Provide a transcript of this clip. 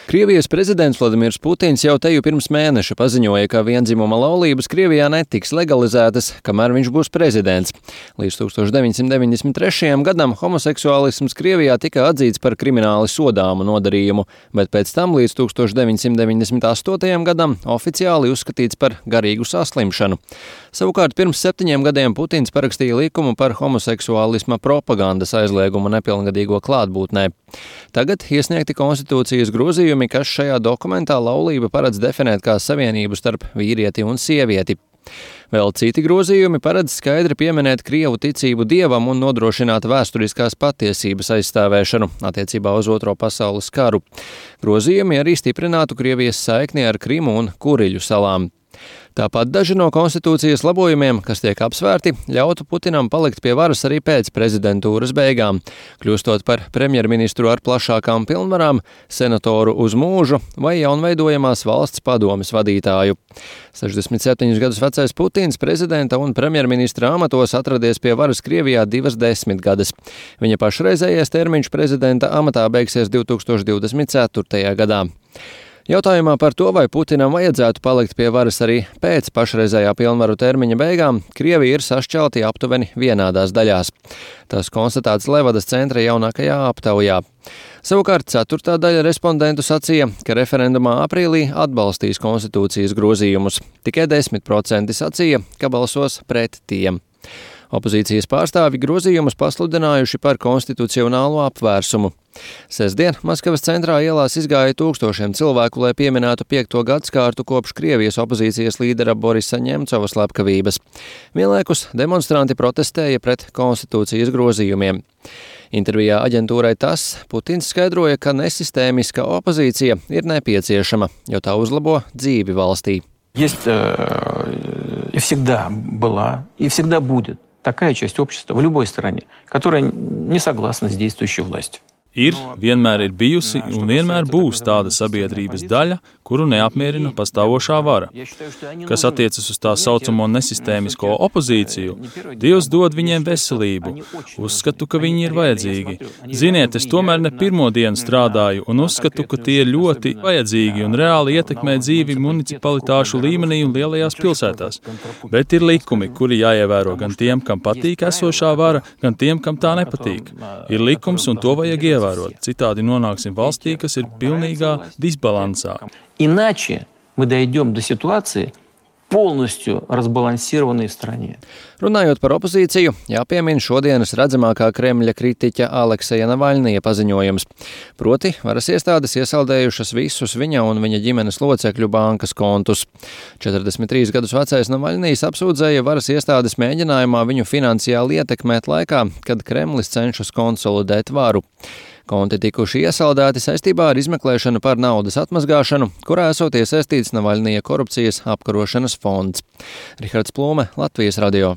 Krievijas prezidents Vladimirs Putins jau teju pirms mēneša paziņoja, ka vienzimuma laulības Krievijā netiks legalizētas, kamēr viņš būs prezidents. Līdz 1993. gadam homoseksuālisms Krievijā tika atzīts par krimināli sodāmu nodarījumu, bet pēc tam līdz 1998. gadam oficiāli uzskatīts par garīgu saslimšanu. Savukārt pirms 7 gadiem Putins parakstīja likumu par homoseksuālisma propagandas aizliegumu nepilngadīgo klātbūtnē. Tagad iesniegti konstitūcijas grozījumi, kas šajā dokumentā laulību paredz definēt kā savienību starp vīrieti un sievieti. Vēl citi grozījumi paredz skaidri pieminēt Krievu ticību dievam un nodrošināt vēsturiskās patiesības aizstāvēšanu attiecībā uz Otro pasaules karu. Grozījumi arī stiprinātu Krievijas saikni ar Krimu un Kuriļu salām. Tāpat daži no konstitūcijas labojumiem, kas tiek apsvērti, ļautu Putinam palikt pie varas arī pēc prezidentūras beigām, kļūstot par premjerministru ar plašākām pilnvarām, senatoru uz mūžu vai jaunveidojamās valsts padomes vadītāju. 67 gadus vecais Putins prezidenta un premjerministra amatos atradies pie varas Krievijā 2 gadus. Viņa pašreizējais termiņš prezidenta amatā beigsies 2024. gadā. Jautājumā par to, vai Putinam vajadzētu palikt pie varas arī pēc pašreizējā pilnvaru termiņa beigām, Krievija ir sašķelti aptuveni vienādās daļās. Tas konstatēts Levadas centra jaunākajā aptaujā. Savukārt 4. daļa respondentu sacīja, ka referendumā aprīlī atbalstīs konstitūcijas grozījumus. Tikai 10% sacīja, ka balsos pret tiem. Opozīcijas pārstāvi grozījumus pasludinājuši par konstitucionālo apvērsumu. Sestdien Maskavas centrā ielās izgāja tūkstošiem cilvēku, lai pieminētu 5. gadskārtu kopš Krievijas opozīcijas līdera Borisa Ņemcova slepkavības. Vienlaikus demonstranti protestēja pret konstitūcijas grozījumiem. Intervijā aģentūrai TASS Putins skaidroja, ka nesistēmiska opozīcija ir nepieciešama, jo tā uzlabo dzīvi valstī. Есть и всегда была, и всегда будет такая часть общества в любой стране, которая не согласна с действующей властью. Vienmēr ir bijusi un vienmēr būs tāda sabiedrības daļa, kuru neapmierina pastāvošā vara. Kas attiecas uz tā saucamo nesistēmisko opozīciju, Dievs dod viņiem veselību. Uzskatu, ka viņi ir vajadzīgi. Ziniet, es tomēr ne pirmo dienu strādāju un uzskatu, ka tie ir ļoti vajadzīgi un reāli ietekmē dzīvi municipalitāšu līmenī un lielajās pilsētās. Bet ir likumi, kuri jāievēro gan tiem, kam patīk esošā vara, gan tiem, kam tā nepatīk. Ir likums un to vajag ievērot. Citādi nonāksim valstī, kas ir pilnīgā disbalansā. Иначе мы дойдем до ситуации полностью разбалансированной в стране. Runājot par opozīciju, jāpiemina šodienas redzamākā Kremļa kritiķa Alekseja Navaļnija paziņojums. Proti, varas iestādes iesaldējušas visus viņa un viņa ģimenes locekļu bankas kontus. 43 gadus vecais Navaļnijs apsūdzēja varas iestādes mēģinājumā viņu finansiāli ietekmēt laikā, kad Kremlis cenšas konsolidēt varu. Konti tikuši iesaldēti saistībā ar izmeklēšanu par naudas atmazgāšanu, kurā esot iesaistīts Navaļnija korupcijas apkarošanas fonds. Rihards Plūme, Latvijas radio.